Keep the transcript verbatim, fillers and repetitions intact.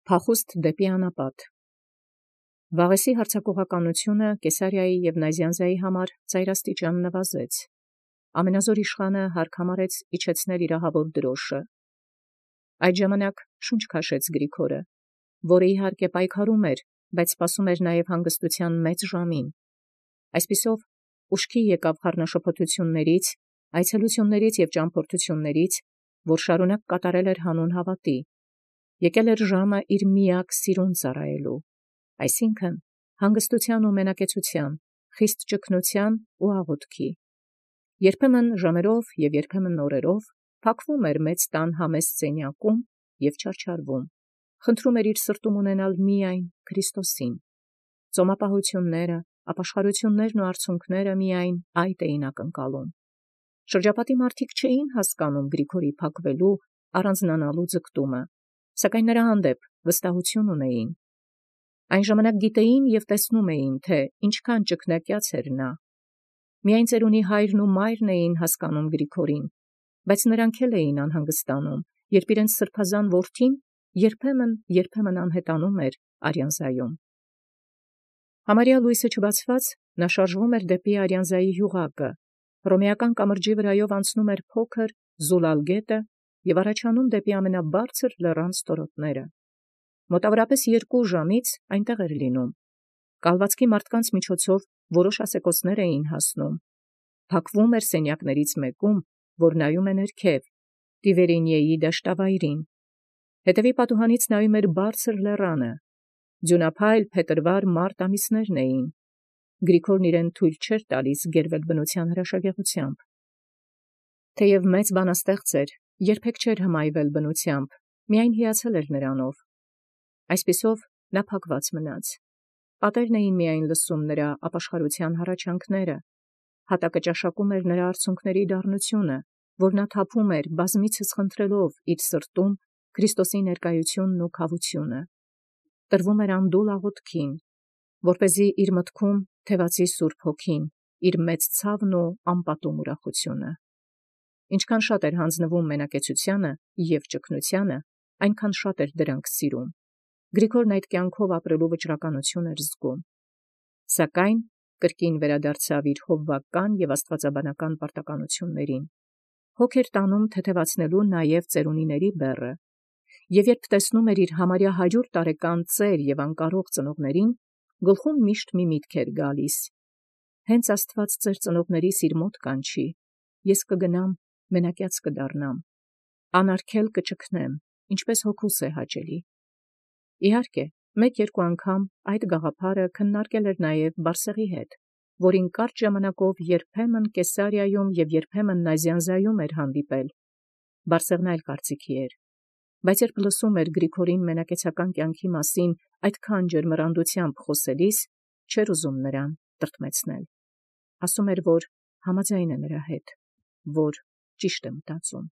Փախուստ դեպի անապատ։ Վաղեսի հարձակողականությունը Կեսարիայի և Նազյանզայի համար ծայրաստիճան նվազեց։ Ամենազոր իշխանը հարկ համարեց իջեցնել իրահավոր դրոշը։ Այդ ժամանակ շունչ քաշեց Գրիգորը, որը իհարկե պայքարում էր, բայց սպասում էր նաև հանգստության մեծ ժամին։ Այսպիսով ուշքի եկավ խառնաշփոթություններից, այցելություններից և ճամփորդություններից, որ շարունակ կատարել էր հանուն հավատի։ Եկել էր ժամը իր միակ սիրուն ծառայելու, այսինքն հանգստության ու մենակեցության, խիստ ճգնության ու աղոթքի։ Երբեմն ժամերով և երբեմն օրերով փակվում էր մեծ տան համեստ սենյակում և չարչարվում, խնդրում էր իր սրտում ունենալ միայն Քրիստոսին։ Ծոմապահությունները, ապաշխարություններն ու արցունքները միայն այդ էին ակնկալում։ Շրջապատի մարդիկ չէին հասկանում Գրիգորի փակվելու, առանձնանալու ձգտումը, սակայն նրա հանդեպ վստահություն ունեին։ Այն ժամանակ գիտեին և տեսնում էին, թե ինչքան ճկնակյաց էր նա։ Միայն ծերունի հայրն ու մայրն էին հասկանում Գրիգորին, բայց նրանք էլ էին անհանգստանում, երբ իրենց սրբազան որդին երբեմն-երբեմն անհետանում էր Արիանզայում։ Համարյա լույսը չբացված, նա շարժվում էր դեպի Արիանզայի յուղակը, Հռոմեական կամրջի վրայով անցնում էր փոքր Զուլալ գետը և առաջանում դեպի ամենաբարձր լեռան ստորոտները։ Մոտավորապես երկու ժամից այնտեղ էր լինում։ Կալվածքի մարդկանց միջոցով որոշ ասեկոսներ էին հասնում։ Փակվում էր սենյակներից մեկում, որ նայում է ներքև, Տիվերինիեի դաշտավայրին։ Հետևի պատուհանից նայում էր բարձր լեռանը։ Ձյունափայլ փետրվար մարտ ամիսներն էին։ Գրիգորն իրեն թույլ չէր տալիս գերվել բնության հրաշագեղությամբ։ Թեև մեծ բանաստեղծ էր, երբեք չէր հմայվել բնությամբ, միայն հիացել էր նրանով։ Այսպիսով նա փակված մնաց։ Պատերն էին միայն լսում նրա ապաշխարության հառաչանքները։ Հատակը ճաշակում էր նրա արցունքների դառնությունը, որ նա թափում էր բազմիցս խնդրելով իր սրտում Քրիստոսի ներկայությունն ու քավությունը։ Տրվում էր անդուլ աղոթքին, որպեսզի իր մտքում թևածի Սուրբ Հոգին, իր մեծ ցավն ու անպատում ուրախությունը։ Ինչքան շատ էր հանձնվում մենակեցությանը և ճգնությանը, այնքան շատ էր դրանք սիրում։ Գրիգորն այդ կյանքով ապրելու վճռականություն էր զգում։ Սակայն կրկին վերադարձավ իր հովվական և աստվածաբանական պարտականություններին։ Հոգ էր տանում թեթևացնելու նաև ծերունիների բեռը, և երբ տեսնում էր իր համարյա հարյուր տարեկան ծեր և անկարող ծնողներին, գլխում միշտ մի միտք էր գալիս. «Հենց Աստված ծեր ծնողներիս իր մոտ կանչի, ես կգնամ, մենակյաց կդառնամ, անարգել կճգնեմ, ինչպես հոգուս է հաճելի»։ Իհարկե, մեկ-երկու անգամ այդ գաղափարը քննարկել էր նաև Բարսեղի հետ, որին կարճ ժամանակով երբեմն Կեսարիայում և երբեմն Նազյանզայում էր հանդիպել։ Բարսեղն այլ կարծիքի էր, բայց երբ լսում էր Գրիգորին մենակեցական կյանքի մասին այդքան ջերմռանդությամբ խոսելիս, չէր ուզում նրան տրտմեցնել։ Ասում էր, որ համաձայն է նրա հետ, որ ճիշտ է մտածում։